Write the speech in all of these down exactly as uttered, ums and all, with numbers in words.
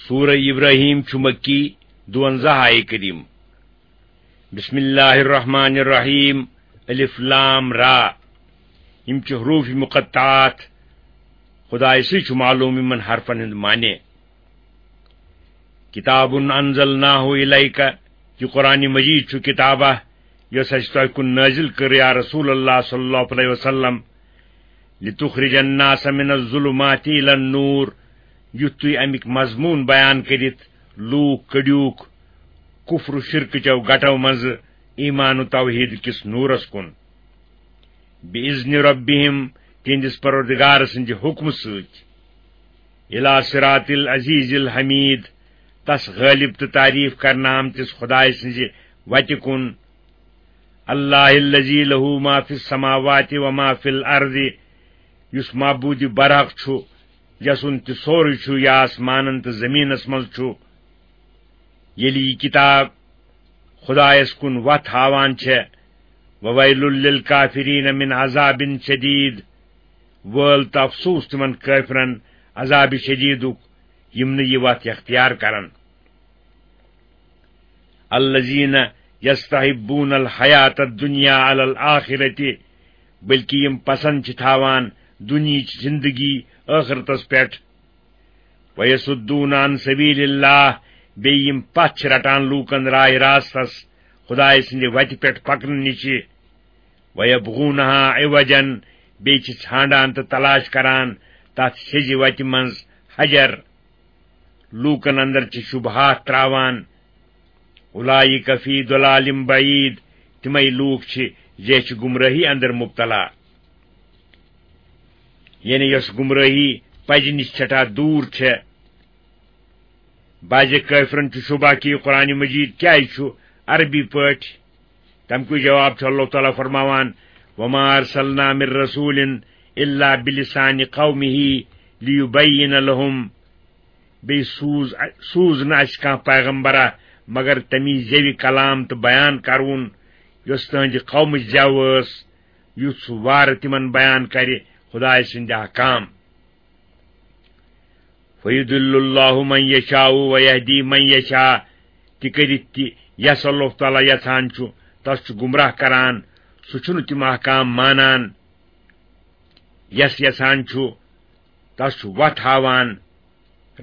سورہ ابراہیم چھُ مکی، دُوَنزاہ آیہِ کریم۔ بسم اللہ الرحمن الرحیم۔ الف لام را۔ یِم چھِ حروف مقطعات۔ خدایہِ سٕے چھُ معلوم یِمن حرفن ہُنٛد معنی۔ کتاب انزلناہ الیک، یہِ قرآن مجید چھُ کتابہ، یۄس اَسہِ تۄہہِ کُن نٲزِل کٔر، یا رسول اللہ صلی اللہ علیہ وسلم، لتخرج الناس من الظلمات الی النور، یُتھ تُہۍ اَمِکۍ مضموٗن بیان کٔرِتھ لوٗکھ کٔڑیوٗکھ کفر و شرکہٕ چیو گٹو منٛزٕ ایمان و توحید کِس نورس کُن۔ بِإِذْنِ رَبِّهِمْ، تِہنٛدِس پروردگار سٕنٛدِ حُکمہٕ سۭتۍ۔ إِلَى صِرَاطِ الْعَزِيزِ الْحَمِيدِ، تس غٲلب تہٕ تعریف کرنہٕ آمتِس خدایہِ سٕنٛزِ وتہِ کُن۔ اللَّهِ الَّذِي لَهُ مَا فِي السَّمَاوَاتِ وَمَا فِي الْأَرْضِ، یُس معبوٗدِ برحق چھُ، یسُنٛد تہِ سورُے چھُ، یہِ آسمانن تہٕ زٔمیٖنس منٛز چھُ۔ ییٚلہِ یہِ کِتاب خدایس کُن وتھ ہاوان چھےٚ، وَوَيْلٌ لِلْكَافِرِينَ مِنْ عَذَابٍ شَدِيدٍ، وٲل تہٕ افسوٗس تِمن کٲفرن عذابِ شدیدُک، یِم نہٕ یہِ وتھ اختیار کرن۔ الَّذِينَ يَسْتَحِبُّونَ الْحَيَاةَ الدُّنْيَا عَلَى الْآخِرَةِ، بلکہ یِم پسند چھِ تھاوان دُنیہٕچ زندگی ٲخرتس پٮ۪ٹھ۔ وَيَصُدُّونَ عَنْ سَبِيلِ اللَّهِ، بیٚیہِ یِم پتھ چھِ رٹان لوٗکن راہِ راستس، خدایہِ سٕنٛدِ وتہِ پٮ۪ٹھ پکنہٕ نِشہِ۔ وَيَبْغُونَهَا عِوَجًا، بیٚیہِ چھِ ژھانڈان تہٕ تلاش کران تتھ سیٚزِ وتہِ منٛز حجر۔ لوٗکن اندر چھِ شبہات تراوان۔ أُولَٰئِكَ فِي ضَلَالٍ بَعِيدٍ، تِمے لوٗکھ چھِ زیچھِ گمرٲہی اندر مبتلا، یعنی یۄس گمرٲہی پزِ نِش سٮ۪ٹھاہ دوٗر چھےٚ۔ بعضِ کٲفرن چھُ شبہ کہِ یہِ قرآن مجید کیازِ چھُ عربی پٲٹھۍ۔ تمکُے جواب چھُ اللہ تعالیٰ فرماوان، وَمَا أَرْسَلْنَا مِن رَّسُولٍ إِلَّا بِلِسَانِ قَوْمِهِ لِيُبَيِّنَ لَهُمْ۔ بیٚیہِ سوٗز، سوٗز نہٕ اَسہِ کانٛہہ پیغمبرا مگر تَمی زیوِ کلام تہٕ بیان کروُن، یۄس تٕہٕنٛدِ قومٕچ زٮ۪و ٲس، یُتھ سُہ وارٕ تِمن بیان کرِ خدایہِ سٕنٛدۍ احکام۔ فَيُضِلُّ اللَّهُ مَن يَشَاءُ وَيَهْدِي مَن يَشَاءُ، تہِ کٔرِتھ تہِ یَس اللہ تعالیٰ یَژھان چھُ، تَس چھُ گمراہ کران، سُہ چھُنہٕ تِم احکام مانان۔ یَس یَژھان چھُ، تَس چھُ وَتھ ہاوان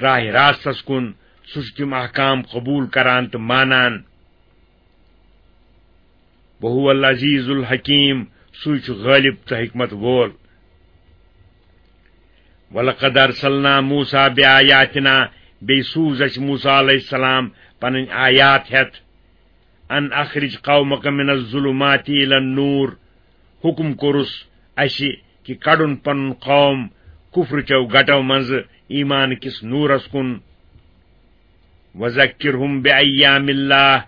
راہِ راستَس کُن، سُہ چھُ تِم احکام قبوٗل کران تہٕ مانان۔ وَهُوَ الْعَزِيزُ الْحَكِيمُ، سُے چھُ غٲلب تہٕ حکمت وول۔ وَلَقَدْ أَرْسَلْنَا مُوسَىٰ بِآيَاتِنَا، بیٚیہِ سوٗز اَسہِ موسیٰ علیہ السلام پنٕنۍ آیات ہٮ۪تھ۔ أَنْ أَخْرِجْ قَوْمَكَ مِنَ الظُّلُمَاتِ إِلَى النُّورِ، حُکُم کوٚرُس اَسہِ کہِ کڑُن پنُن قوم کفرٕ چیو گٹو منٛزٕ ایمان کِس نوٗرس کُن۔ وَذَكِّرْهُم بِأَيَّامِ اللَّهِ،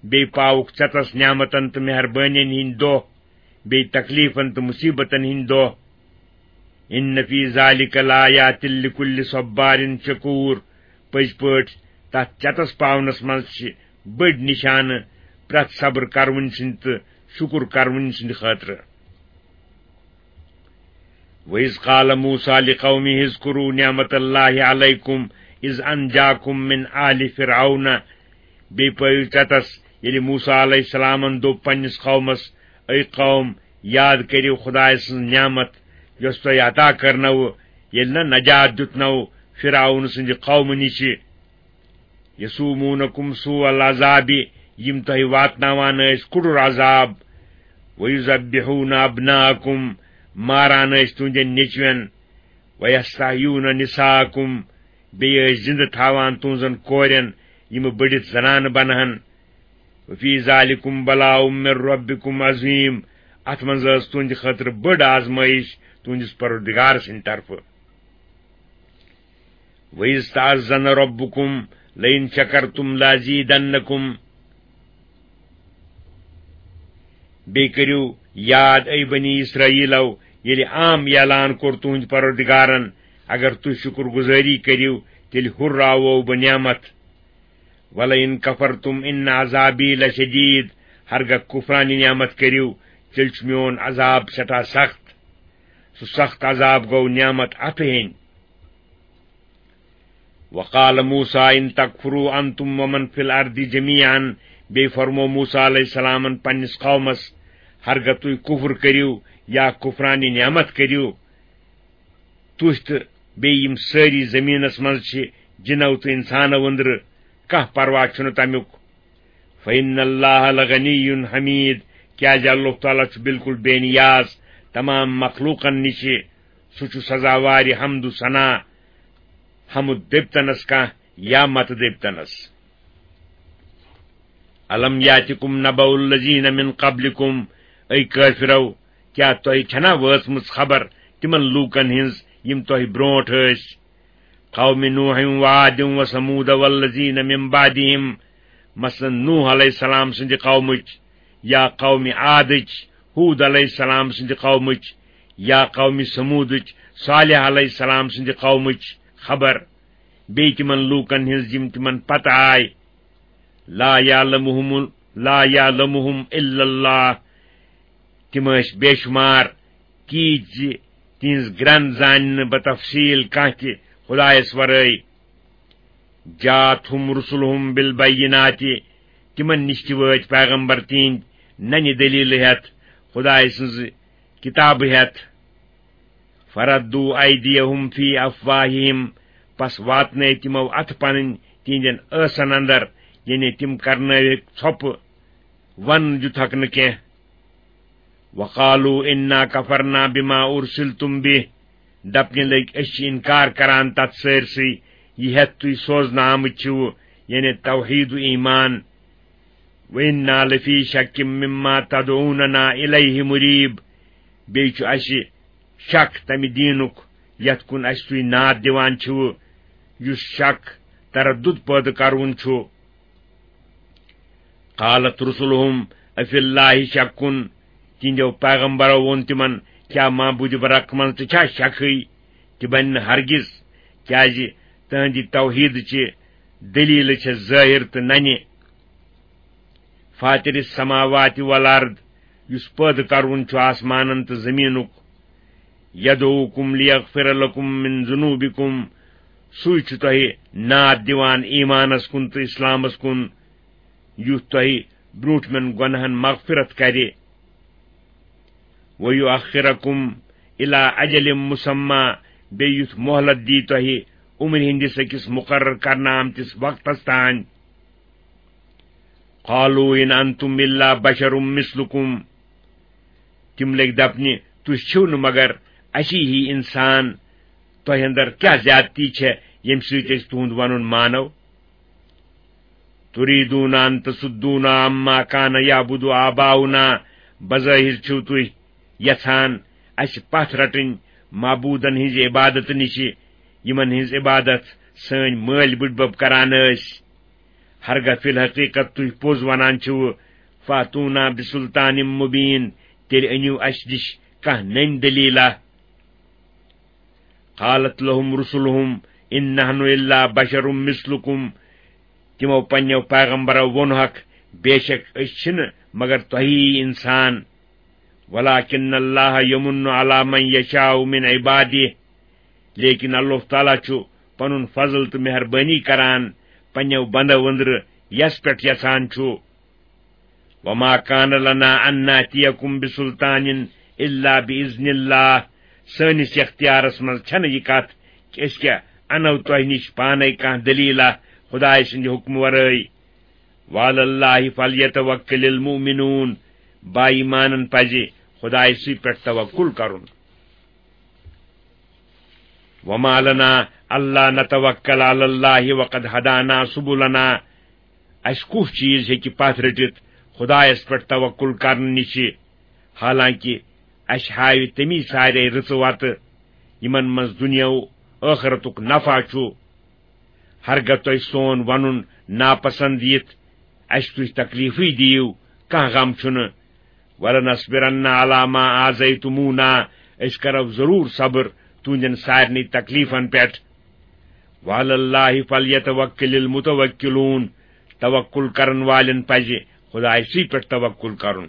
بیٚیہِ پاوُکھ ژےٚ تس نعمتن تہٕ مہربٲنین ہٕنٛدۍ دۄہ، بیٚیہِ تکلیفن تہٕ مصیبتن ہٕنٛدۍ دۄہ۔ إِنَّ فِي ذَٰلِكَ لَآيَاتٍ لِكُلِّ صَبَّارٍ شَكُورٍ، پٔزۍ پٲٹھۍ تتھ ژےٚ تس پاونس منٛز چھِ بٔڑۍ نشانہٕ پرٛٮ۪تھ صبر کرونۍ سٕنٛدۍ تہٕ شُکر کرونۍ سٕنٛدِ خٲطرٕ۔ وَإِذْ قَالَ مُوسَىٰ لِقَوْمِهِ اذْكُرُوا نِعْمَتَ اللَّهِ عَلَيْكُمْ إِذْ أَنْجَاكُمْ مِنْ آلِ فِرْعَوْنَ۔ بیٚیہِ پٲیِو ژےٚ تس، ییٚلہِ موسیٰ علیہ السلامن دوٚپ پننِس قومس، اے قوم، یاد کٔرِو خدایہِ سٕنٛز نعمت، یۄس تۄہہِ عطا کٔرنوٕ، ییٚلہِ نہ نجات دیُتنو فرعون سٕنٛدِ قومہٕ نِشہِ۔ يَسُومُونَكُمْ سُوءَ الْعَذَابِ، یِم تۄہہِ واتناوان ٲسۍ کُڈُر عذاب۔ وَيُذَبِّحُونَ أَبْنَاءَكُمْ، ماران ٲسۍ تُہنٛدٮ۪ن نیٚچوٮ۪ن۔ وَيَسْتَحْيُونَ نِسَاءَكُمْ، بیٚیہِ ٲسۍ زِنٛدٕ تھاوان تُہنٛزن کورٮ۪ن، یِم بٔڑِتھ زنانہٕ بنہن۔ وَفِي ذَٰلِكُمْ بَلَاءٌ مِّن رَّبِّكُمْ عَظِيمٌ، اتھ منٛز ٲس تُہنٛدِ خٲطرٕ بٔڑ آزمٲیش تُہنٛدِس پروردگار سٕنٛدِ طرفہٕ۔ وَإِذْ تَأَذَّنَ رَبُّكُمْ لَئِن شَكَرْتُمْ لَأَزِيدَنَّكُمْ۔ بیٚیہِ کٔرِو یاد، اے بنی اسرائیلو، ییٚلہِ عام اعلان کوٚر تُہنٛدِ پروردگارن، اگر تُہۍ شُکر گُزٲری کٔرِو، تیٚلہِ ہُرراوو بہٕ نعمت۔ وَلَئِن كَفَرْتُمْ إِنَّ عَذَابِي لَشَدِيدٌ، ہرگاہ کُفرانہِ نعمت کٔرِو، تیٚلہِ چھُ میون عذاب سٮ۪ٹھاہ سخت۔ سُہ سخت عذاب گوٚو نعمت اَتھٕ ہیٚنۍ۔ وقال موسیٰ ان تکفروا انتم ومن فی الارض جمیعا، بیٚیہِ فرموو موسیٰ علیہ السلامن پننِس قومس، ہرگاہ تُہۍ کفر کٔرِو یا کفرانِ نعمت کٔرِو، تُہۍ تہٕ بیٚیہِ یِم سٲری زٔمیٖنس منٛز چھِ، جِنو تہٕ اِنسانو أنٛدرٕ، کانٛہہ پرواہ چھُنہٕ تمیُک۔ فإن اللہ لغنی حمید، کیازِ اللہ تعالیٰ چھُ بالکل بے نیاز تمام مخلوقن نِشہِ، سُہ چھُ سزاوارِ حمد و ثنا، حمد دٔپتنس کانٛہہ یا مت دٔپتنس۔ الم یاتکم نبأ الذین من قبلکم، اے کٲفرو، کیٛاہ تۄہہِ چھنا وٲژمٕژ خبر تِمن لوٗکن ہٕنٛز یِم تۄہہِ برونٛٹھ ٲسۍ؟ قوم نوح وعاد وثمود والذین من بعدہم، مثلاً نوح علیہ السلام سٕنٛدِ قومٕچ، یا قوم عادٕچ، ہود علیہ السلام سٕنٛدِ قومٕچ، یا قوم ثمودٕچ، صالح علیہ السلام سٕنٛدِ قومٕچ خبر، بیٚیہِ تِمن لوٗکن ہٕنٛز یِم تِمن پتہٕ آے۔ لا یعلمہم، لا یعلمہم الا اللہ، تِم ٲسۍ بے شمار کیٖتۍ زِ تِہنٛز گرٛنٛد زانہِ نہٕ بتفصیٖل کانٛہہ تہِ خدایس ورٲے۔ جاءتہم رسلہم بالبینات، تِمن نِش تہِ وٲتۍ پیغمبر تِہنٛدۍ ننہِ دٔلیٖلہٕ ہٮ۪تھ، خدایہِ سٕنٛزٕ کِتابہٕ ہٮ۪تھ۔ فردوا ایدیہم فی افواہہم، پس واتنٲے تِمو اتھٕ پنٕنۍ تِہنٛدٮ۪ن ٲسن اندر، یعنی تِم کرنٲوِکھ ژھۄپہٕ، ون دیُتہکھ نہٕ کینٛہہ۔ وقالوا انا کفرنا بما ارسلتم به، دپنہِ لٔگۍ، أسۍ چھِ انکار کران تتھ سٲرسٕے، یہِ ہٮ۪تھ تُہۍ سوزنہٕ آمٕتۍ چھِو، یعنی توحید و ایمان۔ وانا لفی شک مما تدعوننا الیہ مریب، بیٚیہِ چھُ اسہِ شک تمہِ دیٖنُک یتھ کُن اسہِ تُہۍ ناد دِوان چھِو، یُس شک، تردد پٲدٕ کرون چھُ۔ قالت رسلہم افی اللہ شک، تِہنٛدیو پیغمبرو ووٚن تِمن، کیٛاہ معبوٗدِ برحق منٛز تہِ چھا شکھٕے؟ تہِ بنہِ نہٕ ہرگز، کیٛازِ تہنٛدِ توحیدٕچہِ دٔلیٖلہٕ چھےٚ ظٲہِر تہٕ ننہِ۔ فاطر السماوات والارض، یُس پٲدٕ کرون چھُ آسمانن تہٕ زٔمیٖنُک۔ یدعوکم لیغفر لکم من ذنوبکم، سُے چھُ تۄہہِ ناد دِوان ایمانس کُن تہٕ اسلامس کُن، یُتھ تۄہہِ برونٹھمٮ۪ن گۄناہن مغفرت کرِ۔ ویؤخرکم الی اجل مسمی، بیٚیہِ یُتھ مۄہلت دی تۄہہِ عمرِ ہٕنٛدِس أکِس مُقرر کرنہٕ آمتِس وقتس تام۔ قالوا ان انتم الا بشر مثلکم، تِم لٔگۍ دپنہِ، تُہۍ چھِو نہٕ مگر اسی ہی انسان، تۄہہِ اندر کیٛاہ زیادتی چھےٚ ییٚمہِ سۭتۍ أسۍ تُہُنٛد ونُن مانو؟ تریدون ان تصدونا عما کان یعبد آباؤنا، بظٲہِر چھِو تُہۍ یژھان اسہِ پتھ رٹٕنۍ معبوٗدن ہٕنٛزِ عبادتہٕ نِشہِ، یِمن ہٕنٛز عبادت سٲنۍ مٲلۍ بٕڈبب کران ٲسۍ۔ ہرگاہ فی الحقیقت تُہۍ پوٚز ونان چھِو، فاتونا بسلطان مبین، تیٚلہِ أنِو اسہِ نِش کانٛہہ نٔنۍ دٔلیٖلہ۔ قالت لهم رسلهم ان نحن الا بشر مثلكم، تِمو پننیو پیغمبرو ووٚنہکھ، بے شک أسۍ چھِنہٕ مگر تۄہی انسان۔ ولكن الله يمن على من يشاء من عباده، لیکن اللہ تعالیٰ چھُ پنُن فضل تہٕ مہربٲنی کران پننیو بندو أنٛدرٕ یس پٮ۪ٹھ یژھان چھُ۔ وما كان لنا ان ناتيكم بسلطان الا باذن الله، سٲنِس اختیارس منٛز چھنہٕ یہِ کتھ کہِ أسۍ کیٛاہ انو تۄہہِ نِش پانے کانٛہہ دٔلیٖلہ خدایہِ سٕنٛدِ حُکمہٕ ورٲے۔ وعلى الله فليتوكل المؤمنون، با ایمانن پزِ خدایہِ سٕے پٮ۪ٹھ توکل کرُن۔ وما لنا الا نتوكل على الله وقد هدانا سبلنا، اسہِ کُس چیز ہیٚکہِ پتھ رٔٹِتھ خدایس پٮ۪ٹھ توکل کرنہٕ نِشہِ، حالانکہِ اسہِ ہاوِ تٔمی سارے رٕژٕ وتہٕ، یِمن منٛز دُنیا و ٲخرتُک نفع چھُ۔ ہرگاہ تۄہہِ سون ونُن ناپسند یِتھ، اسہِ تُہۍ تکلیفٕے دِیِو، کانٛہہ غم چھُنہٕ۔ ولنصبرن على ما آذيتمونا، أسۍ کرو ضروٗر صبر تُہنٛدٮ۪ن سارنٕے تکلیفن پٮ۪ٹھ۔ وعلى الله فليتوكل المتوكلون، توکل کرن والٮ۪ن پزِ خدایہِ سٕے پٮ۪ٹھ توکل کرُن۔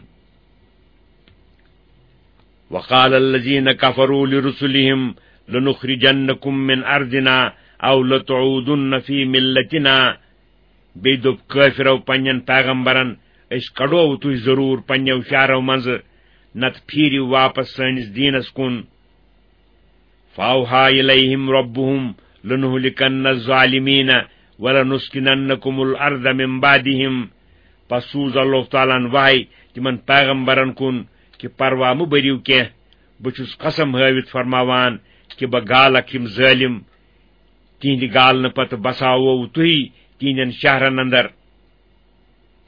وقال الذين كفروا لرسلهم لنخرجنكم من أرضنا او لتعودن فی ملتنا، بیٚیہِ دوٚپ کٲفرو پننٮ۪ن پیغمبرن، أسۍ کڑو تُہۍ ضروٗر پننٮ۪و شہرو منٛزٕ، نتہٕ پھیٖرِو واپس سٲنِس دیٖنس کُن۔ فاوحیٰ الیہم ربہم لنہلکنن الظالمین ولنسکننکم الارض من بعدہم۔ پس سوٗز اللہ تعالیٰ ہن وحی تِمن پیغمبرن کُن کہِ پروا مہٕ بٔرِو کینٛہہ، بہٕ چھُس قسم ہٲوِتھ فرماوان کہِ بہٕ گالکھ یِم ظٲلِم، تِہنٛدِ گالنہٕ پتہٕ بساوو تُہی تِہنٛدٮ۪ن شہرن اندر۔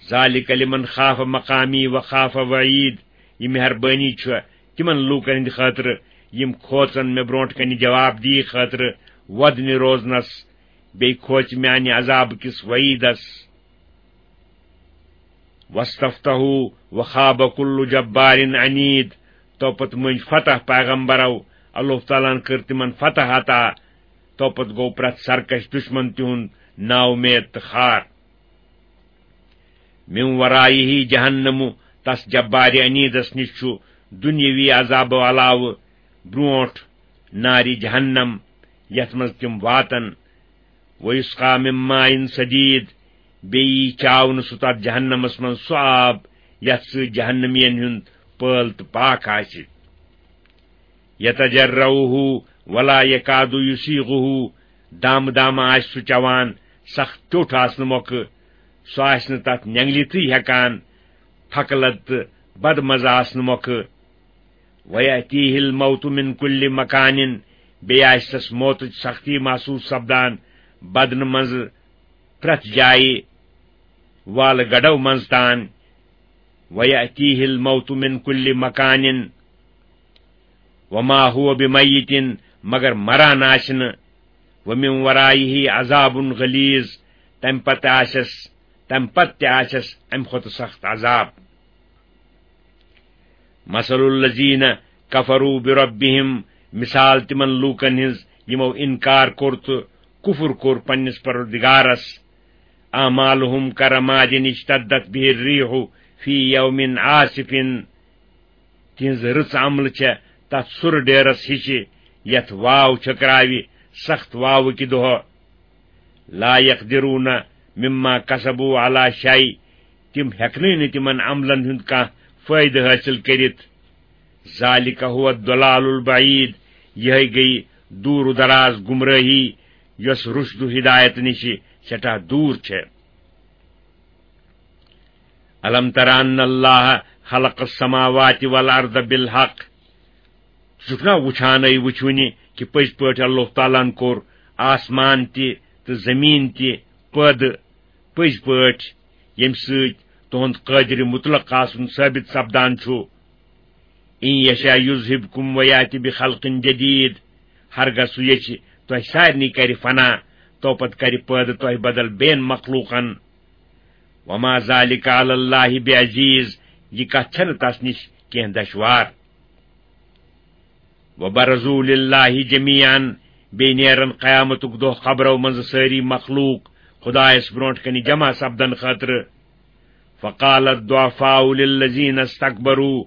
ذالک لمن خاف مقامی وخاف وعید، یہِ مہربٲنی چھِ تِمن لوٗکن ہٕنٛدِ خٲطرٕ یِم کھوژن مےٚ برونٛٹھ کنہِ جواب دی خٲطرٕ وۄدنہِ روزنس، بیٚیہِ کھوژِ میانہِ عذاب کِس وعیدس۔ واستفتحوا وخاب کل جبار عنید، توپت مٔنٛزۍ فتح پیغمبرو، اللہ تعالیٰ ہن کٔر تِمن فتح عطا، توپت گوٚو پرٛٮ۪تھ سرکش دشمن تِہُنٛد نااُمید تہٕ خار۔ من ورائه جہنم، تس جبار عنیدس نِش چھُ دُنیاوی عذابو علاوٕ برونٛٹھ نارِ جہنم، یتھ منٛز تِم واتن۔ ویسقی من ماء صدید، بیٚیہِ یی چاونہٕ سُہ تتھ جہنمس منٛز سُہ آب یتھ سۭتۍ جہنمین ہُنٛد پٲل تہٕ پاکھ آسہِ۔ یتجرعه ولا یکاد یسیغه، دامہٕ دامہٕ آسہِ سُہ چٮ۪وان، سخت ٹیوٚٹھ آسنہٕ مۄکھٕ، سُہ آسہِ نہٕ تتھ نٮ۪نگلِتھٕے ہٮ۪کان، پھکہٕ لد تہٕ بدمزٕ آسنہٕ مۄکھٕ۔ ویأتیہ الموت من کل مکان، بیٚیہِ آسہِ تس موتٕچ سختی محسوس سپدان بدنہٕ منٛزٕ پرٛٮ۪تھ جایہِ، والہٕ گڑھو منٛز تان۔ ویأتیہ الموت من کل مکان وما هو بمیت، مگر مران آسہِ نہٕ۔ ومن ورائه عذاب غلیظ، تمہِ پتہٕ آسٮ۪س، تمہِ پتہٕ تہِ آسٮ۪س امہِ کھۄتہٕ سخت عذاب۔ مثل الذین کفروا بربہم، مثال تِمن لوٗکن ہٕنٛز یِمو انکار کوٚر تہٕ کفر کوٚر پننِس پروردگارس۔ اعمالہم کرماد اشتدت بہ الریح فی یوم عاصف، تِہنٛز رٕژ عملہٕ چھےٚ تتھ سُرٕ ڈیرس ہِشہِ یتھ واو چھٔکراوِ سخت واوٕ کہِ دۄہہ۔ لا یقدرون مما کسبوا علی شیء، تِم ہیٚکنٕے نہٕ تِمن عملن ہُنٛد کانٛہہ فٲیدٕ حٲصِل کٔرِتھ۔ ذالک هو الضلال البعید، یِہے گٔیہِ دوٗر و دراز گمرٲہی یۄس رُشد و ہدایت نِشہِ سٮ۪ٹھاہ دوٗر چھےٚ۔ الم تر ان اللہ خلق السماوات والارض بالحق، ژٕ چھُکھ نا وُچھانٕے وُچھوٕنہِ کہِ پٔزۍ پٲٹھۍ اللہ تعالیٰ ہن کوٚر آسمان تہِ تہٕ زٔمیٖن تہِ پٲدٕ، پٔزۍ پٲٹھۍ، ییٚمہِ سۭتۍ تُہُنٛد قٲدرِ مطلق آسُن ثٲبت سپدان چھُ۔ ان یشاء یذہبکم ویأتِ بخلق جدید، ہرگاہ سُہ یژھِ تۄہہِ سارنٕے کرِ فنا، تو پتہٕ کرِ پٲدٕ تۄہہِ بدل بیٚین مخلوقن۔ وما ذالک علی اللہ بعزیز، یہِ کتھ چھنہٕ تس نِش کینٛہہ دشوار۔ وبرزوا للہ جمیعا، بیٚیہِ نیرن قیامتُک دۄہ قبرو منٛزٕ سٲری مخلوق خدایس برونٛٹھ کنہِ جمع سپدن خٲطرٕ۔ فقال الضعفاء للذین استکبروا،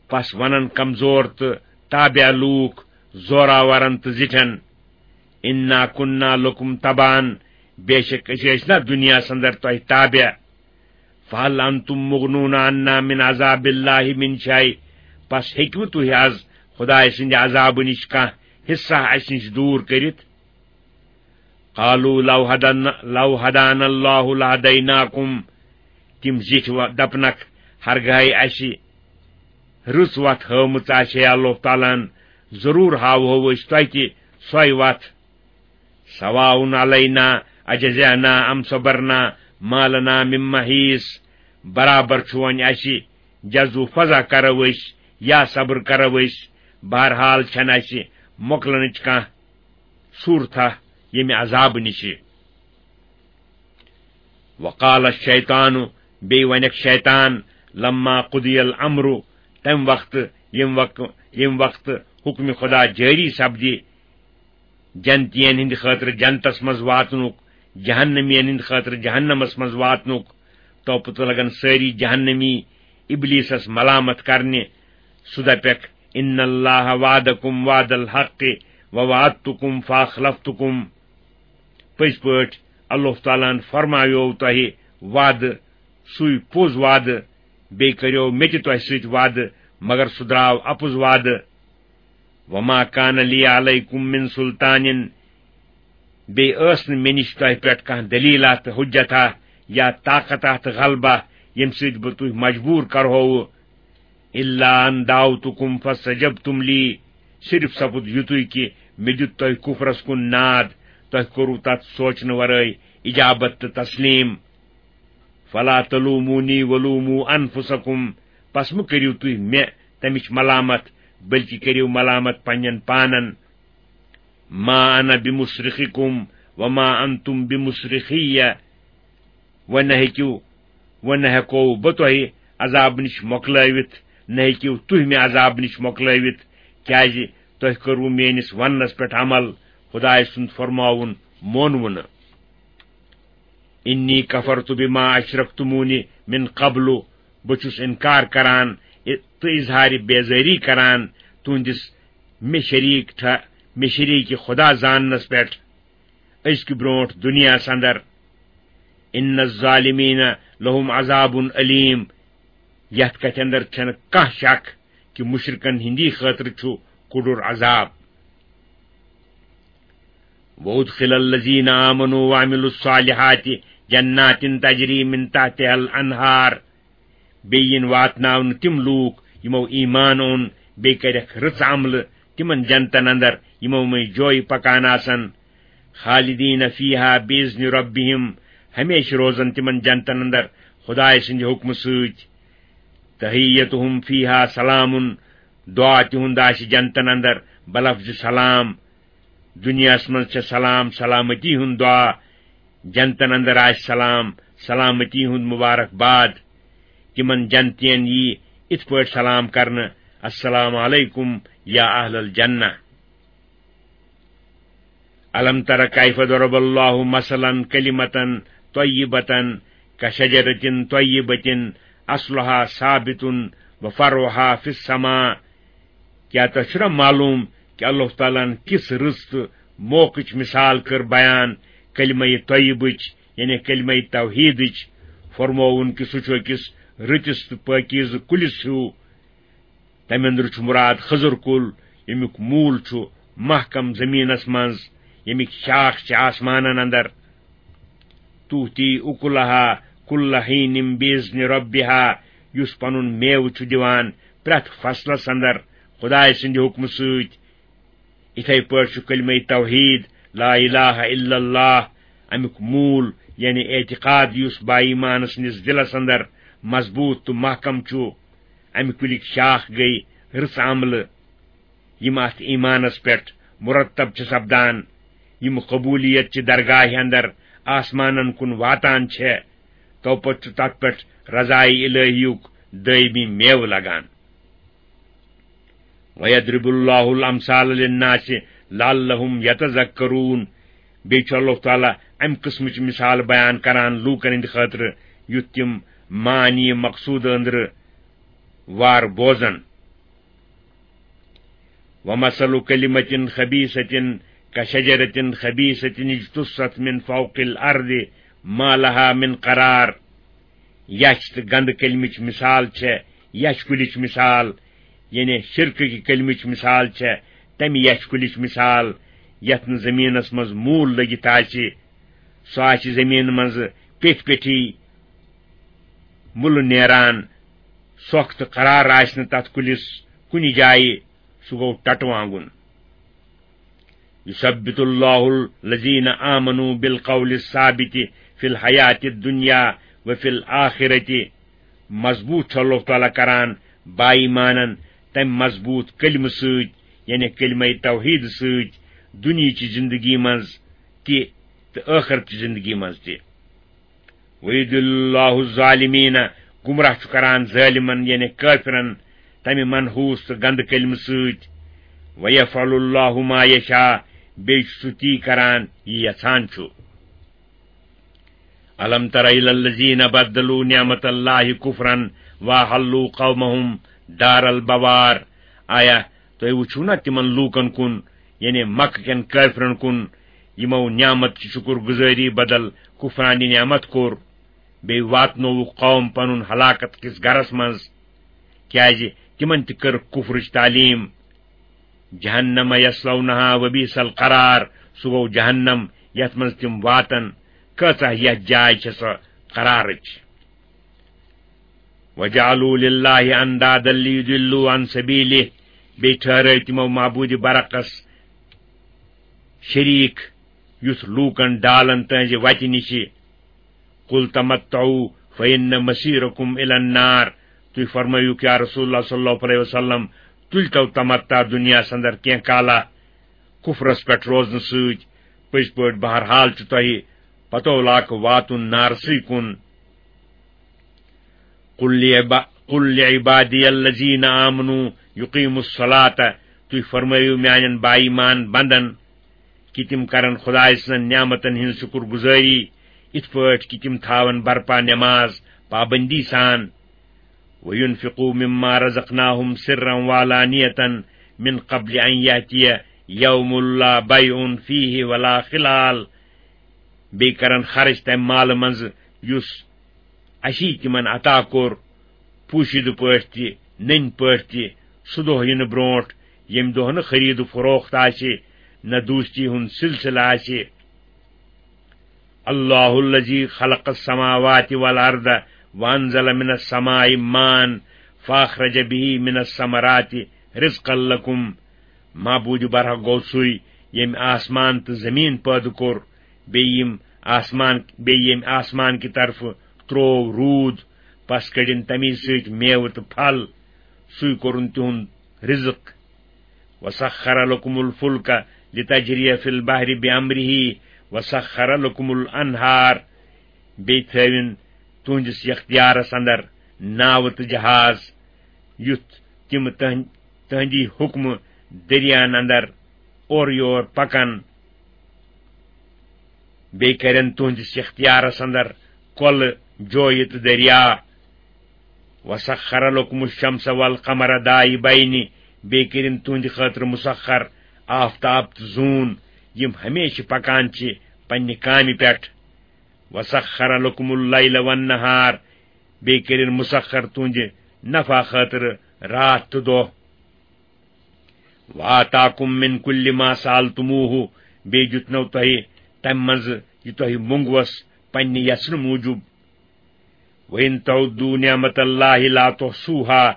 پس ونن کمزور تہٕ تابع لوٗکھ زوراورن تہٕ زِٹھٮ۪ن، انا کنا لکم تبعا، بے شک أسۍ ٲسۍ نا دُنیاہس اندر تۄہہِ تابع۔ فہل انتم مغنون عنا من عذاب اللہ من شیء، پس ہیٚکوٕ تُہۍ از خدایہِ سٕنٛدِ عذابہٕ نِش کانٛہہ حصہ اسہِ نِش دوٗر کٔرِتھ؟ قالوا لو ہدن، لو ہدانا اللہ لہدیناکم، تِم زِٹھۍ و-، دپنکھ، ہرگاہے اسہِ رٕژ وتھ ہٲومٕژ آسہِ ہے اللہ تعالیٰ ہن، ضروٗر ہاوہو أسۍ تۄہہِ تہِ سۄے وتھ۔ سواء علینا اجزعنا ام صبرنا ما لنا من محیص، برابر چھُ وۄنۍ اسہِ جزو فضا کرو أسۍ یا صبر کرو أسۍ، بہرحال چھنہٕ اسہِ مۄکلنٕچ کانٛہہ صورتھا ییٚمہِ عذابہٕ نِشہِ۔ وقال الشیطان، بیٚیہِ ونکھ شیطان، لما قضی الامر، تمہِ وقتہٕ، ییٚمہِ وق-، ییٚمہِ وقتہٕ حکمِ خدا جٲری سپدِ، جنتین ہٕنٛدِ خٲطرٕ جنتس منٛز واتنُک، جہنمین ہٕنٛدِ خٲطرٕ جہنمس منٛز واتنُک، تو پتہٕ لگن سٲری جہنمی ابلیسس ملامت کرنہِ۔ سُہ دپکھ، ان اللہ وعدکم وعد الحق ووعدتکم فاخلفتکم۔ پٔزۍ پٲٹھۍ اللہ تعالیٰ ہن فرماویو تۄہہِ وعدٕ، سُے پوٚز وعدٕ، بیٚیہِ کٔریو مےٚ تہِ تۄہہِ سۭتۍ وعدٕ، مگر سُہ درٛاو اَپُز وعدٕ۔ وما کان لی علیکم من سلطان، بیٚیہِ ٲس نہٕ مےٚ نِش تۄہہِ پٮ۪ٹھ کانٛہہ دٔلیٖلہ تہٕ حُجتہ یا طاقتہ تہٕ غلبہ، ییٚمہِ سۭتۍ بہٕ تُہۍ مجبوٗر کرہووٕ۔ الا ان دعوتکم فاستجبتم لی، صرف سپُد یُتُے کہِ مےٚ دیُت تۄہہِ کُفرس کُن ناد، تۄہہِ کوٚروٕ تتھ سونچنہٕ ورٲے اجابت تہٕ تسلیٖم۔ فلا تلومونی ولوموا انفسکم، پس مہٕ کٔرِو تُہۍ مےٚ تمِچ ملامت، بلکہِ کٔرِو ملامت پننٮ۪ن پانن۔ ما انا بمصرخکم وما انتم بمصرخی، وۄنۍ نہ ہیٚکِو، وۄنۍ نہ ہیٚکو بہٕ تۄہہِ عذاب نِش مۄکلٲوِتھ، نہ ہیٚکِو تُہۍ مےٚ عذاب نِش مۄکلٲوِتھ، کیازِ تۄہہِ کٔروٕ میٲنِس وننس پٮ۪ٹھ عمل، خدایہِ سُنٛد فرماوُن مونوٕ نہٕ۔ انی کفرت بما اشرکتمونی من قبل، بہٕ چھُس انکار کران تہٕ اظہار بیزٲری کران تُہنٛدِس مےٚ شریٖک ٹھہ-، مےٚ شریٖک خدا زاننس پٮ۪ٹھ أزکہِ برونٛٹھ دُنیاہس اندر۔ ان الظالمین لہم عذاب علیم، یتھ کتھِ اندر چھنہٕ کانٛہہ شک کہِ مشرکن ہٕنٛدی خٲطرٕ چھُ کُڈُر عذاب۔ وادخل الذین آمنوا وعملوا الصالحات جنات تجری من تحتها الانہار، بیٚیہِ یِن واتناونہٕ تِم لوٗکھ یِمو ایمان اوٚن، بیٚیہِ کَرٮ۪کھ رٕژ عملہٕ، تِمن جنتن اندر یِمو منٛز جویہِ پکان آسن۔ خالدین فیہا باذن ربہم، ہمیشہٕ روزن تِمن جنتن اندر خدایہِ سٕنٛدِ حُکمہٕ سۭتۍ۔ تحیتہم فیہا سلام، دعا تِہُنٛد آسہِ جنتن اندر بلفظ سلام۔ دُنیاہس منٛز چھےٚ سلام سلامتی ہُنٛد دعا، جنتن اندر آسہِ سلام سلامتی ہُنٛد مبارک باد۔ تِمن جنتین یی اِتھ پٲٹھۍ سلام کرنہٕ، السلام علیکم یا اہل الجنہ۔ الم تر کیف ضرب اللہ مثلا کلمة طیبة کشجرة طیبة اصلها ثابت وفرعها فی السماء۔ کیٛاہ تۄہہِ چھُنہ معلوم کہِ اللہ تعالیٰ ہن کِژھ رٕژ تہٕ موقعٕچ مثال کٔر بیان کلمہ طیبٕچ، یعنی کلمہ توحیدٕچ؟ فرمووُن کہِ سُہ چھُ أکِس رٕتِس تہٕ پٲکیٖزٕ کُلِس ہیوٗ۔ تمہِ اندرٕ چھُ مراد خضر کُل، ییٚمیُک موٗل چھُ محکم زٔمیٖنس منٛز، ییٚمِکۍ شاخ چھِ آسمانن اندر۔ تؤتی اکلها کل حین باذن ربها، یُس پنُن میوٕ چھُ دِوان پرٛٮ۪تھ فصلس اندر خدایہِ سٕنٛدِ حُکمہٕ سۭتۍ۔ یِتھے پٲٹھۍ چھُ کلمہ توحید، لا الہ الا اللہ، امیُک موٗل، یعنی اعتقاد، یُس با ایمان سٕنٛدِس دِلس اندر مضبوٗط تہٕ محکم چھُ۔ امہِ کُلِکۍ شاخ گٔے رٕژ عملہٕ، یِم اتھ ایمانس پٮ۪ٹھ مرتب چھِ سپدان، یِم قبولیت چہِ درگاہہِ اندر آسمانن کُن واتان چھےٚ، تو پتہٕ چھُ تتھ پٮ۪ٹھ رضایہِ الہیُک دٲیمی میوٕ لگان۔ وَيَضْرِبُ اللَّهُ الْأَمْثَالَ لِلنَّاسِ لَعَلَّهُمْ يَتَذَكَّرُونَ۔ بیٚیہِ چھُ اللہ تعالیٰ امہِ قٕسمٕچ مثال بیان کران لوٗکن ہٕنٛدِ خٲطرٕ، یُتھ تِم معنی مقصود أنٛدرٕ وار بوزن۔ وَمَثَلُ كَلِمَةٍ خَبِيثَةٍ كَشَجَرَةٍ خَبِيثَةٍ اجْتُثَّتْ مِنْ فَوْقِ الْأَرْضِ مَا لَهَا مِنْ قَرَارٍ۔ یَچھ تہٕ گنٛدٕ کلمٕچ مثال چھےٚ یَچھ کُلِچ مثال، یعنی شرکہٕ کہِ کلمٕچ مثال چھےٚ تَمہِ یَچھ کُلِچ مثال، یَتھ نہٕ زٔمیٖنَس منٛز موٗل لٔگِتھ آسہِ۔ سُہ آسہِ زٔمیٖنہِ منٛز پیٚٹھۍ پیٚٹھی مُلہٕ نیران، سۄکھ تہٕ قرار آسہِ نہٕ تَتھ کُلِس کُنہِ جایہِ، سُہ گوٚو ٹٹہٕ وانٛگُن۔ یثبت اللہ الذین آمنوا بالقول الثابت فی الحیات الدنیا وفی الآخرۃ۔ مضبوط چھُ اللہ تعالیٰ کران با ایمانن تمہِ مضبوط کلمہٕ سۭتۍ، یعنی کلمہ توحید سۭتۍ، دنیاہچہِ زندگی منٛز تہِ تہٕ ٲخرتچہِ زندگی منٛز تہِ۔ وَيُضِلُّ اللَّهُ الظَّالِمِينَ، گمراہ چھُ کران ظٲلمن، یعنی کٲفرن، تمہِ منحوس تہٕ گندٕ کلمہٕ سۭتۍ۔ وَيَفْعَلُ اللَّهُ مَا يَشَاءُ، بیٚیہِ چھُ سُہ تی کران یہِ یژھان چھُ۔ الم تر الی الذین بدلوا نعمت اللہ کفرا واحلوا قومهم دار البوار۔ آیا تُہۍ وٕچھِو نا تِمن لوٗکن کُن، یعنی مکہ کٮ۪ن کٲفرن کُن، یِمو نعمت چہِ شُکر گُزٲری بدل کُفرانِ نعمت کوٚر، بیٚیہِ واتنووُکھ قوم پنُن ہلاکت کِس گرس منٛز، کیازِ تِمن تہِ کٔر کُفرٕچ تعلیٖم۔ جہنم یصلونہا وبئس القرار، سُہ گوٚو جہنم یتھ منٛز تِم واتن، کۭژاہ یتھ جاے چھےٚ سۄ قرارٕچ۔ وجعلوا للہ اندادا لیضلوا عن سبیلہ، بیٚیہِ ٹھہرٲے تِمو معبوٗدِ برحقس شریٖک، یُتھ لوٗکن ڈالن تہنٛزِ وتہِ نِشہِ۔ قل تمتعوا فإن مصيركم إلى النار، تُہۍ فرمٲیِو یا رسول اللہ صلی اللہ علیہ وسلم، تُلۍ تو تمتع دُنیاہس اندر کینٛہہ کالا، کُفرس پٮ۪ٹھ روزنہٕ سۭتۍ، پٔزۍ پٲٹھۍ بہرحال چھُ تۄہہِ پتو لاکھ واتُن نارسٕے کُن۔ قل لعبا-، قل لعبادی الذین آمنوا یقیموا الصلاۃ، تُہۍ فرمٲیِو میانٮ۪ن با ایمان بندن کہِ تِم کرن خدایہِ سٕنٛزن نعمتن ہٕنٛز شُکر گُزٲری، یِتھ پٲٹھۍ کہِ تِم تھاون برپا نماز پابندی سان۔ وینفقوا مما رزقناہم سرا وعلانیة من قبل ان یأتی یوم لا بیع فیہ ولا خلال، بیٚیہِ کرن خرٕچ تمہِ مالہٕ منٛزٕ یُس اسی تِمن عطا کوٚر، پوٗشِدٕ پٲٹھۍ تہِ، نٔنۍ پٲٹھۍ تہِ، سُہ دۄہ یِنہٕ برونٛٹھ، ییٚمہِ دۄہ نہٕ خرید و فروخت آسہِ، نہ دوستی ہُنٛد سلسلہٕ آسہِ۔ اللہ الذی خلق السماوات والارض وانزل من السماء ماء فاخرج به من الثمرات رزقا لکم۔ معبود برحق گوٚو سُے، ییٚمۍ آسمان تہٕ زمین پٲدٕ کوٚر، بیٚیہِ یِم آسمان، بیٚیہِ ییٚمۍ آسمان کہِ طرفہٕ تروو روٗد، پس کٔڑِن تمی سۭتۍ میوٕ تہٕ پھل۔ سُے کوٚرُن تِہُنٛد رزق۔ وسخر لکم الفلک لتجری فی البحر بامرہ وسخر لکم الانہار۔ بیٚیہِ تھٲوِن تُہنٛدِس اختیارس اندر ناوٕ تہٕ جہاز، یُتھ تِم تہن-، تہنٛدی حُکمہٕ دٔریاہن اندر اورٕ یور پکن۔ بیٚیہِ کرن تُہنٛدِس اختیارس اندر کۄلہٕ، جویہِ تہٕ دریا۔ وسخر لکم الشمس والقمر دائبین، بیٚیہِ کٔرِن تُہنٛدِ خٲطرٕ مسخر آفتاب تہٕ زوٗن، یِم ہمیشہِ پکان چھِ پننہِ کامہِ پٮ۪ٹھ۔ وسخر لکم اللیل والنہار، بیٚیہِ کٔرِن مسخر تُہنٛدِ نفع خٲطرٕ راتھ تہٕ دۄہ۔ وآتاکم من کل ما سألتموہ، بیٚیہِ دیُتنو تۄہہِ تمہِ منٛزٕ یہِ تۄہہِ مونٛگوس پننہِ یژھنہٕ موٗجوٗب۔ وَإِن تَعُدُّوا نِعْمَتَ اللَّهِ لَا تُحْصُوهَا،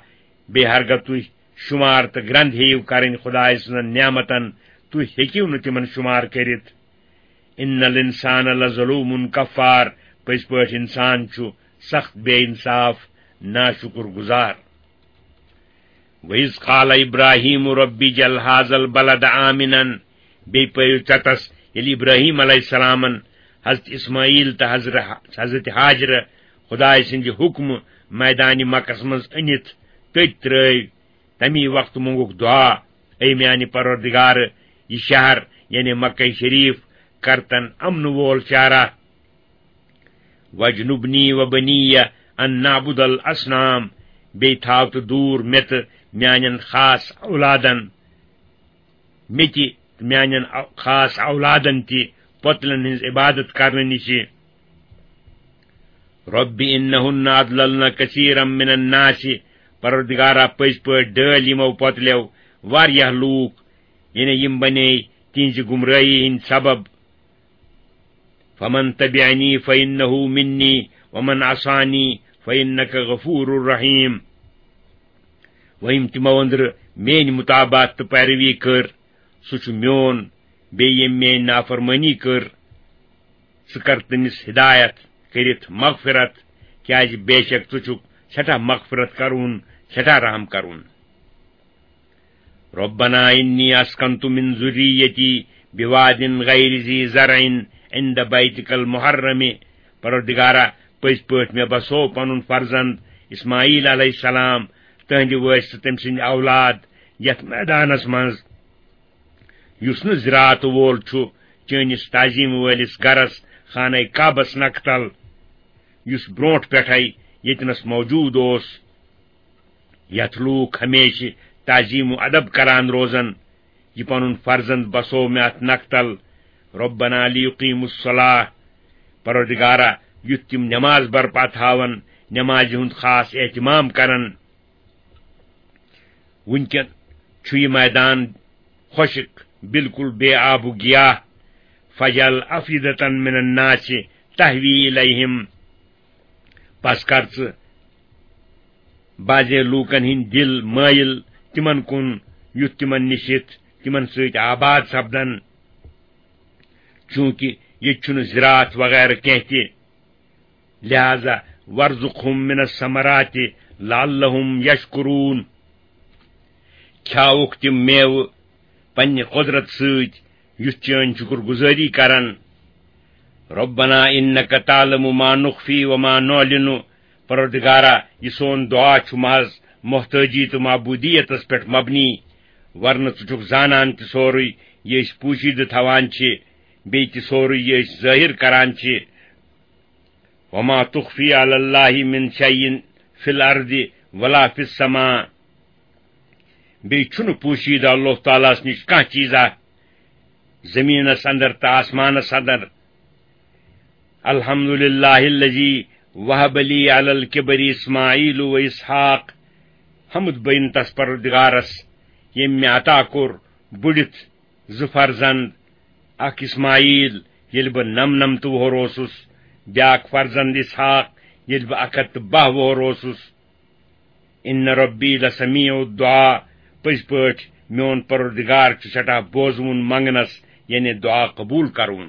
بیٚیہِ ہرگاہ تُہۍ شُمار تہٕ گرٛنٛد ہیٚیِو کرٕنۍ خۄداے سٕنٛزن نعمتن، تُہۍ ہیٚکِو نہٕ تِمن شُمار کٔرِتھ۔ اِنَّ الْإِنسَانَ لَظَلُومٌ کَفَّارٌ، پٔزۍ پٲٹھۍ اِنسان چھُ سخت بے انصاف، ناشُکُر گُزار۔ وَإِذْ قَالَ إِبْرَاهِيمُ رَبِّ اجْعَلْ هَذَا الْبَلَدَ آمِنًا، بیٚیہِ پٔرِو ژٮ۪تس، ییٚلہِ ابراہیم علیہ السلامن حضرت اسماعیل تہٕ حضر-، حضرت ہاجرٕ خدایہِ سٕنٛدِ حُکمہٕ میدانِ مکس منٛز أنِتھ تٔتۍ ترٲوۍ، تمی وقتہٕ مونگُکھ دُعا، اے میانہِ پروردگار، یہِ شہر، یعنی مکہ شریف، کرتن امن وول شہرا۔ وَاجْنُبْنِي وَبَنِيَّ أَن نَّعْبُدَ الْأَصْنَامَ، بیٚیہِ تھاو تہٕ دوٗر مےٚ تہٕ میانٮ۪ن خاص اولادن، مےٚ تہِ تہٕ میانٮ۪ن او-، خاص اولادن تہِ پۄتلن ہٕنٛز عبادت کرنہٕ نِشہِ۔ رَبِّ إِنَّهُنَّ أَضْلَلْنَ كَثِيرًا مِّنَ النَّاسِ، پروردگارا، پٔزۍ پٲٹھۍ ڈٲلۍ یِمو پۄتلیو واریاہ لوٗکھ، یعنی یِم بنے تِہنٛزِ گمرٲہی ہٕنٛدۍ سبب۔ فَمَن تَبِعَنِي فَإِنَّهُ مِنِّي وَمَنْ عَصَانِي فَإِنَّكَ غَفُورٌ رَحِيمٌ۔ وۄنۍ یِم تِمو أنٛدرٕ میٲنۍ مُتابعت تہٕ پیروی کٔر، سُہ چھُ میون، بیٚیہِ ییٚمۍ میٲنۍ نافرمٲنی کٔر، ژٕ کر تٔمِس ہدایت کٔرِتھ مغفرت، کیازِ بے شک ژٕ چھُکھ سٮ۪ٹھاہ مغفرت کرون، سٮ۪ٹھاہ رحم کرون۔ رَبَّنَا إِنِّي أَسْكَنْتُ مِنْ ذُرِّيَّتِي بِوَادٍ غَيْرِ ذِي زَرْعٍ عِنْدَ بَيْتِكَ الْمُحَرَّمِ، پروردگارا، پٔزۍ پٲٹھۍ مےٚ بسوو پنُن فرزند اسماعیل علیہ السلام تہنٛدِ وٲرثہٕ تٔمۍ سٕنٛدۍ اولاد یتھ میدانس منٛز، یُس نہٕ زِراعت وول چھُ، چٲنِس تعظیم وٲلِس گرس خانہ کعبس نکھٕ تل، یُس برونٹھ پٮ۪ٹھے ییٚتنس موجود اوس، یتھ لوٗکھ ہمیشہِ تعظیم و ادب کران روزن۔ یہِ پنُن فرزند بسوو مےٚ اتھ نکھٕ تل۔ ربنا لیقیموا الصلاة، پروردگارا، یُتھ تِم نماز برپا تھاون، نمازِ ہُنٛد خاص اہتمام کرن۔ وٕنکٮ۪ن چھُ یہِ میدان خۄشک، بالکل بے آب و گیاہ۔ فاجعل افئدة من الناس تهوی الیہم، پس کر ژٕ بعضے لوٗکن ہٕنٛدۍ دِل مٲیِل تِمن کُن، یُتھ تِمن نِش یِتھ تِمن سۭتۍ آباد سپدن۔ چوٗنٛکہِ ییٚتہِ چھُنہٕ زِراعت وغیرہ کینٛہہ تہِ، لہذا وارزقهم من الثمرات لعلهم یشکرون، کھیاوُکھ تِم میوٕ پننہِ قۄدرت سۭتۍ، یُتھ چٲنۍ شُکر گُزٲری کرن۔ ربنا انک تعلم ما نخفی وما نعلن، پروردگارا، یہِ سون دعا چھُ محض محتٲجی تہٕ معبودیتس پٮ۪ٹھ مبنی، ورنہٕ ژٕ چھُکھ زانان تہِ سورُے یہِ أسۍ پوٗشیدٕ تھاوان چھِ، بیٚیہِ تہِ سورُے یہِ أسۍ ظٲہِر کران چھِ۔ وما تخفی علی اللہ من شیء فی الارض ولا فی السماء، بیٚیہِ چھُنہٕ پوٗشیدٕ اللہ تعالیٰ ہس نِش کانٛہہ چیٖزا زٔمیٖنس اندر تہٕ آسمانس اندر۔ الحمد للہ الذی وہب لی علی الکبر اسماعیل و اسحاق، حمد بین تس پروردگارس، ییٚمۍ مےٚ عطا کوٚر بُڑِتھ زٕ فرزند، اکھ اسماعیل، ییٚلہِ بہٕ نَمنَمتہٕ وُہُر اوسُس، بیٛاکھ فرزند اسحاق، ییٚلہِ بہٕ اَکھ ہَتھ تہٕ باہ وُہُر اوسُس۔ ان ربی لسمیع الدعاء، پٔزۍ پٲٹھۍ میون پروردگار چھُ سٮ۪ٹھاہ بوزوُن منگنس، یعنی دعا قبول کرُن۔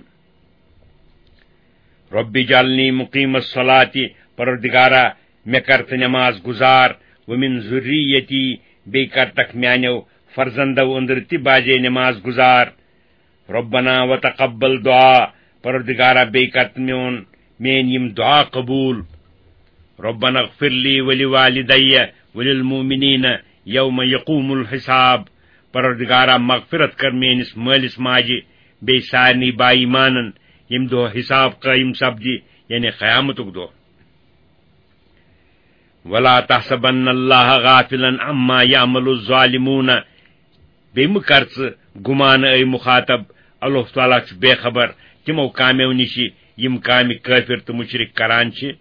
رب اجعلنی مقیم الصلاۃ، پروردگارا، مےٚ کر تہٕ نماز گزار، ومن ذریتی، بیٚیہِ کر تکھ میانیو فرزندو أنٛدرٕ تہِ بعضے نماز گزار۔ ربنا وتقبل دعاء، پروردگارا، بیٚیہِ کر تہٕ میون، میٲنۍ یِم دعا قبول۔ ربنا اغفر لی ولوالدی وللمؤمنین یوم یقوم الحساب، پروردگارا، مغفرت کر میٲنِس مٲلِس ماجہِ بیٚیہِ سارنٕے با ایمانن، ییٚمہِ دۄہ حساب قٲیِم سپدِ، یعنی قیامتُک دۄہ۔ ولا تحسبن اللہ غافلا عما یعمل الظالمون، بیٚیہِ مہٕ کر ژٕ گُمان، اے مخاطب، اللہ تعالیٰ چھُ بے خبر تِمو کامیو نِشہِ، یِم کامہِ کٲفر تہٕ مُشرِک کران چھِ۔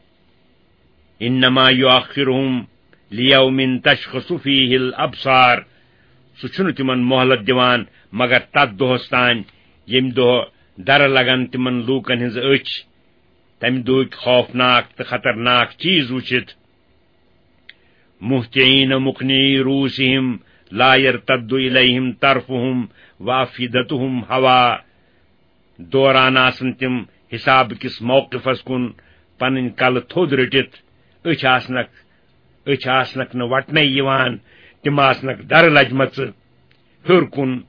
انما یؤخرهم لیوم تشخص فیہ الابصار، سُہ چھُنہٕ تِمن مۄہلت دِوان مگر تتھ دۄہس تام، ییٚمہِ دۄہ درٕ لگن تِمن لوٗکن ہٕنٛز أچھ، تمہِ دۄہٕکۍ خوفناک تہٕ خطرناک چیز وُچھِتھ۔ مہطعین مقنعی رؤوسہم لا یرتد الیہم طرفہم وافئدتہم ہوا، دوران آسن تِم حساب کِس موقفس کُن پنٕنۍ کلہٕ تھوٚد رٔٹِتھ، أچھ آسنکھ، أچھ آسنکھ نہٕ وٹنے یِوان، تِم آسنکھ درٕ لجمژٕ ہیوٚر کُن،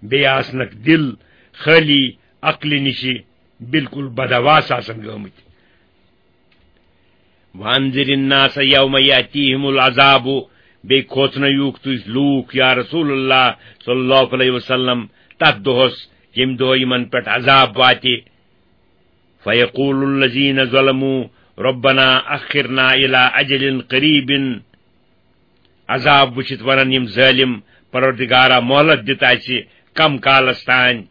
بیٚیہِ آسنکھ دِل خٲلی عقلہِ نِشہِ بالکل بدحواس آسن گٲمٕتۍ۔ وانذر الناس یوم یاتیہم العذاب، بیٚیہِ کھوژنٲیوکھ تُہۍ لوٗکھ یا رسول اللہ صلی اللہ علیہ وسلم تتھ دۄہس، ییٚمہِ دۄہ یِمن پٮ۪ٹھ عذاب واتہِ۔ فیقول الذین ظلموا ربنا اخرنا الی اجل قریب، عذاب وٕچھِتھ ونن یِم ظٲلِم، پروردگارا، مۄہلت دِتھ اَسہِ کم کالس تانۍ؟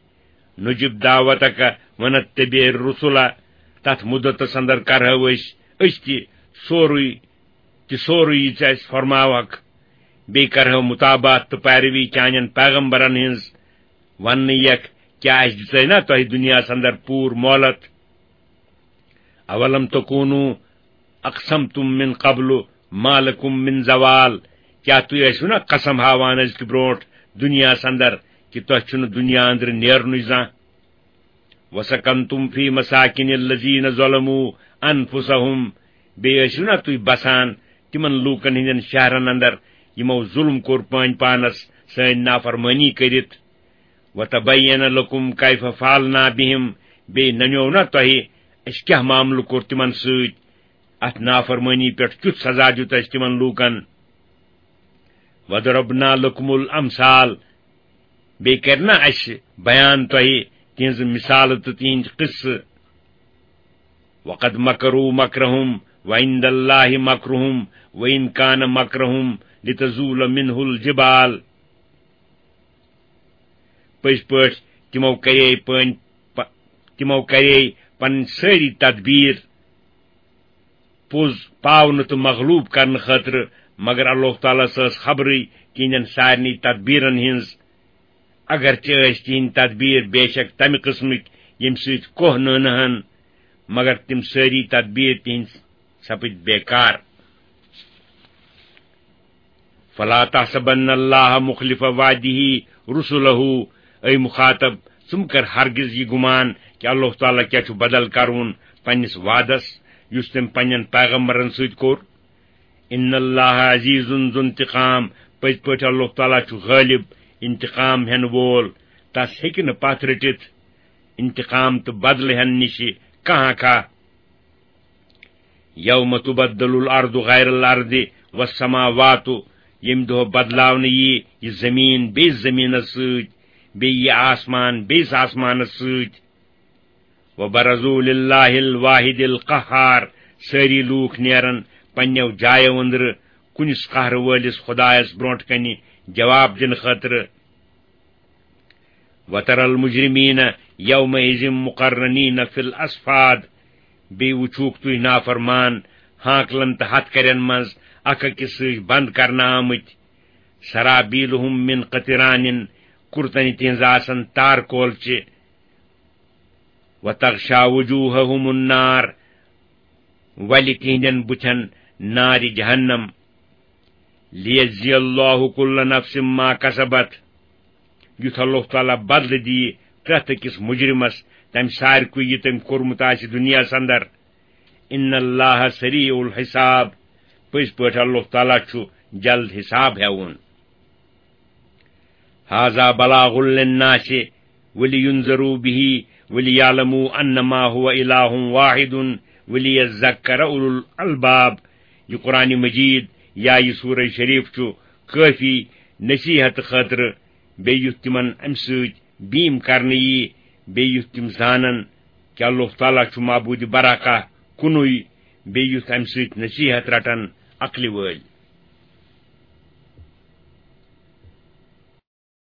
نجب دعوتک ونتبع الرسل، تتھ مدتس اندر کرہو أسۍ، أسۍ تہِ سورُے، تہِ سورُے یہِ ژٕ اَسہِ فرماوکھ، بیٚیہِ کرہو متابعت تہٕ پیروی چانٮ۪ن پیغمبرن ہٕنٛز۔ وننہٕ یکھ، کیٛاہ اَسہِ دِژے نا تۄہہِ دُنیاہس اندر پوٗرٕ مۄہلت؟ اولم تکونوا اقسمتم من قبل ما لکم من زوال، کیٛاہ تُہۍ ٲسِو نا قسم ہاوان أزکہِ برونٛٹھ دُنیاہس اندر کہِ تۄہہِ چھُنہٕ دُنیا أنٛدرٕ نیرنُے زانٛہہ؟ وسکنتم فی مساکن الذین ظلموا انفسہم، بیٚیہِ ٲسِو نا تُہۍ بسان تِمن لوٗکن ہٕنٛدٮ۪ن شہرن اندر یِمو ظُلم کوٚر پٲنۍ پانس سٲنۍ نافرمٲنی کٔرِتھ۔ وتبین لکم کیف فعلنا بہم، بیٚیہِ ننیو نا تۄہہِ اَسہِ کیٛاہ معاملہٕ کوٚر تِمن سۭتۍ، اَتھ نافرمٲنی پٮ۪ٹھ کیُتھ سزا دیُت اَسہِ تِمن لوٗکن۔ وضربنا لکم الامثال، بیٚیہِ کرِ نا اَسہِ بیان تۄہہِ تِہنٛزٕ مثالہٕ تہٕ تِہنٛدۍ قصہٕ۔ وقد مکروا مکرہم وعند اللہ مکرہم وان کان مکرہم لتزول منہ الجبال۔ پٔزۍ پٲٹھۍ تِمو کرے پٲنۍ پ-، تِمو کرے پنٕنۍ سٲری تدبیر پوٚز پاونہٕ تہٕ مغلوب کرنہٕ خٲطرٕ، مگر اللہ تعالیٰ ہس ٲس خبرٕے تِہنٛدٮ۪ن سارنٕے تدبیرن ہٕنٛز۔ اگرچہِ ٲسۍ تِہنٛدۍ تدبیر بے شک تمہِ قٕسمٕکۍ ییٚمہِ سۭتۍ کوہ نٲنہٕ ہن، مگر تِم سٲری تدبیر تِہنٛدۍ سپٕدۍ بیکار۔ فلا تحسبن اللہ مخلف وعدہ رسلہ، اے مخاطب، ژٕ مہٕ کر ہرگز یہِ گمان کہِ اللہ تعالیٰ کیٛاہ چھُ بدل کرُن پننِس وعدس یُس تٔمۍ پننٮ۪ن پیغمبرن سۭتۍ کوٚر۔ ان اللہ عزیز ذو انتقام، پٔزۍ پٲٹھۍ اللہ تعالیٰ چھُ غٲلب، انتقام ہٮ۪ن وول، تس ہیٚکہِ نہٕ پتھ رٔٹِتھ انتقام تہٕ بدلہٕ ہٮ۪نہٕ نِشہِ کانٛہہ کانٛہہ۔ یوم تبدل الارض غیر الارض والسماوات، ییٚمہِ دۄہ بدلاونہٕ یی یہِ زٔمیٖن بیٚیِس زٔمیٖنس سۭتۍ، بیٚیہِ یہِ آسمان بیٚیِس آسمانس سۭتۍ۔ وبرزوا للہ الواحد القہار، سٲری لوٗکھ نیرن پننیو جایو أنٛدرٕ کُنِس قہرٕ وٲلِس خدایس برونٛٹھ کنہِ جواب دِنہٕ خٲطرٕ۔ وتر المجرمین یومئذ مقرنین فی الاصفاد، بیٚیہِ وٕچھوکھ تُہۍ نافرمان ہانکلن تہٕ ہتھ کرٮ۪ن منٛز اکھ أکِس سۭتۍ بند کرنہٕ آمٕتۍ۔ سرابیلہم من قطران، کُرتن تِہنٛز آسن تار کولچہِ۔ وتغشا وجوہہم النار، ولہِ تِہنٛدٮ۪ن بُتھٮ۪ن نارِ جہنم۔ لیجزی اللہ کل نفس ما کسبت، یُتھ اللہ تعالیٰ بدلہٕ دِیہِ پرٛٮ۪تھ أکِس مجرمس تمہِ سارِکُے یہِ تٔمۍ کوٚرمُت آسہِ دُنیاہس اندر۔ ان اللہ سریع الحساب، پٔزۍ پٲٹھۍ اللہ تعالیٰ چھُ جلد حساب ہٮ۪وُن۔ هذا بلاغ للناس ولينذروا به وليعلموا أنما هو إله واحد وليذكر أولو الألباب۔ یہِ قرآن مجید یا یہِ سورہ شریف چھُ کٲفی نصیحت خٲطرٕ، بیٚیہِ یُتھ تِمن اَمہِ سۭتۍ بیٖم کرنہٕ یی، بیٚیہِ یُتھ تِم زانن کہِ اللہ تعالیٰ چھُ معبوٗدِ برحقہ کُنُے، بیٚیہِ یُتھ اَمہِ سۭتۍ نصیحت رٹن عقلہِ وٲلۍ۔